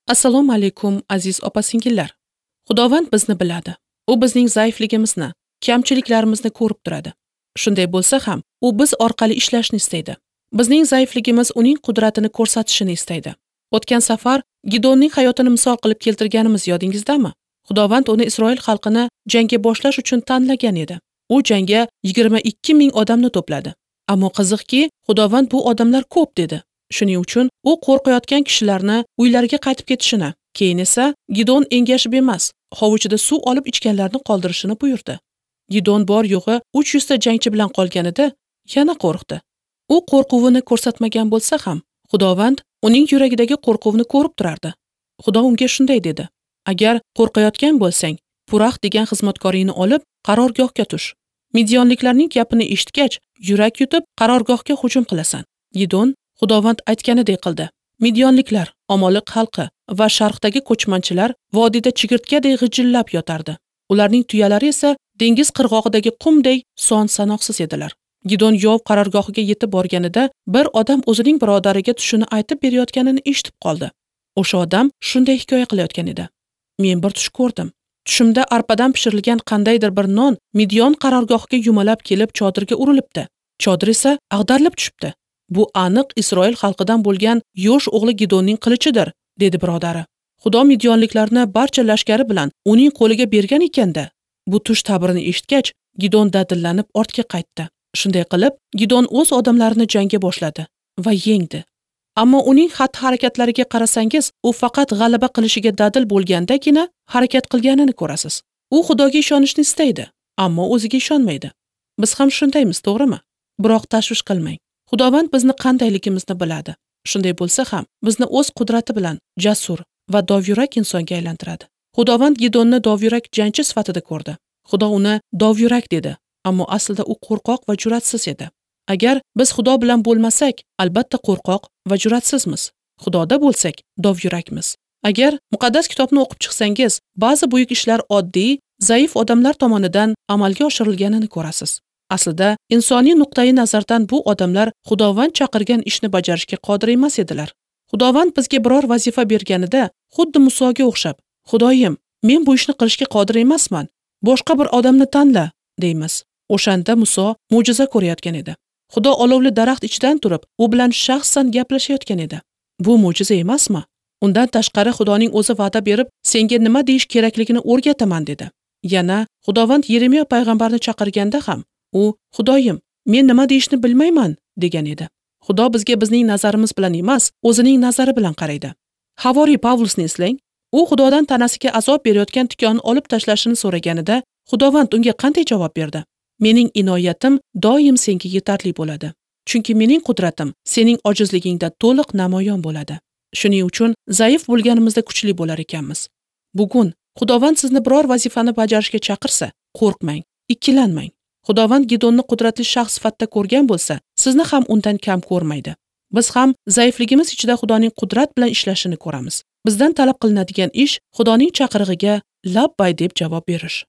Assalomu alaykum aziz opa-singillar. Xudovand bizni biladi. U bizning zaifligimizni, kamchiliklarimizni ko'rib turadi. Shunday bo'lsa ham, u biz orqali ishlashni istaydi. Bizning zaifligimiz uning qudratini ko'rsatishini istaydi. O'tgan safar Gidonning hayotini misol qilib keltirganimiz yodingizdami? Xudovand uni Isroil xalqini jangga boshlash uchun tanlagan edi. U jangga 22 ming odamni to'pladi. Ammo qiziqki, Xudovand bu odamlar ko'p dedi. Shuning uchun u qo'rqayotgan kishilarni uylariga qaytib ketishini, keyin esa Gidon engashib emas, hovuchida suv olib ichganlarni qoldirishini buyurdi. Gidon bor yo'g'i 300 ta jangchi bilan qolganida yana qo'rqdi. U qo'rquvini ko'rsatmagan bo'lsa ham, Xudovand uning yuragidagi qo'rquvni ko'rib turardi. Xudo unga shunday dedi: Agar qo'rqayotgan bo'lsang, Purax degan xizmatkoringni olib, qarorgohga tush. Midyonliklarning gapini eshitgach, yurak yutib, qarorgohga hujum qilasan. Gidon Xudovand aytganidek qildi. Midyonliklar, Omoliq xalqi va sharqdagi ko'chmanchilar vodiyda chigirtkadek g'ijillab yotardi. Ularning tuyalari esa dengiz qirg'og'idagi qumday son-sanoqsiz edilar. Gidon yov qarorgohiga yetib borganida bir odam o'zining birodariga tushini aytib berayotganini eshitib qoldi. O'sha odam shunday hikoya qilayotgan edi: Men bir tush ko'rdim. Tushimda arpadan pishirilgan qandaydir bir non Midyon qarorgohiga yumalab kelib chodirga urilibdi. Chodir esa ag'darilib tushibdi. Bu aniq Isroil xalqidan bo'lgan Yosh o'g'li Gidonning qilichidir, dedi birodari. Xudo midyonliklarni barcha lashkari bilan uning qo'liga bergan ekanda. Bu tush ta'birini eshitgach, Gidon dadillanib ortga qaytdi. Shunday qilib, Gidon o'z odamlarini jangga boshladi va yengdi. Ammo uning xatti-harakatlariga qarasangiz, u faqat g'alaba qilishiga dadil bo'lgandagina harakat qilganini ko'rasiz. U Xudoga ishonishni istaydi, ammo o'ziga ishonmaydi. Biz ham shundaymiz, to'g'rimi? Biroq tashvish qilmang. Xudovand bizni qandayligimizni biladi. Shunday bo'lsa ham, bizni o'z qudrati bilan jasur va dovyurak insonga aylantiradi. Xudovand Gidonni dovyurak jangchi sifatida ko'rdi. Xudo uni dovyurak dedi, ammo aslida u qo'rqoq va jur'atsiz edi. Agar biz Xudo bilan bo'lmasak, albatta qo'rqoq va jur'atsizmiz. Xudoda bo'lsak, dovyurakmiz. Agar muqaddas kitobni o'qib chiqsangiz, ba'zi buyuk ishlar oddiy, zaif odamlar tomonidan amalga oshirilganini ko'rasiz. Aslida, insoniy nuqtai nazardan bu odamlar Xudovand chaqirgan ishni bajarishga qodir emas edilar. Xudovand bizga biror vazifa berganida, xuddi Musoga o'xshab, Xudoyim, men bu ishni qilishga qodir emasman, boshqa bir odamni tanla, deymiz. O'shanda Muso mo'jiza ko'rayotgan edi. Xudo olovli daraxt ichidan turib, u bilan shaxsan gaplashayotgan edi. Bu mo'jiza emasmi? Undan tashqari Xudoning o'zi va'da berib, senga nima deyish kerakligini o'rgataman dedi. Yana Xudovand Yeremiya payg'ambarni chaqirganda ham u Xudoyim, men nima deyishni bilmayman degan edi. Xudo bizga bizning nazarimiz bilan emas, o'zining nazari bilan qaraydi. Havoriy Pavlusni eslang. U Xudodan tanasiga azob berayotgan tikonni olib tashlashini so'raganida, Xudovand unga qanday javob berdi? Mening inoyatim doim senga yetarli bo'ladi. Chunki mening qudratim sening ojizligingda to'liq namoyon bo'ladi. Shuning uchun zaif bo'lganimizda kuchli bo'lar ekanmiz. Bugun Xudovand sizni biror vazifani bajarishga chaqirsa, qo'rqmang, ikkilanmang. Xudovand Gidonni qudratli shaxs sifatida ko'rgan bo'lsa, sizni ham undan kam ko'rmaydi. Biz ham zaifligimiz ichida Xudoning qudrat bilan ishlashini ko'ramiz. Bizdan talab qilinadigan ish Xudoning chaqirig'iga labbay deb javob berish.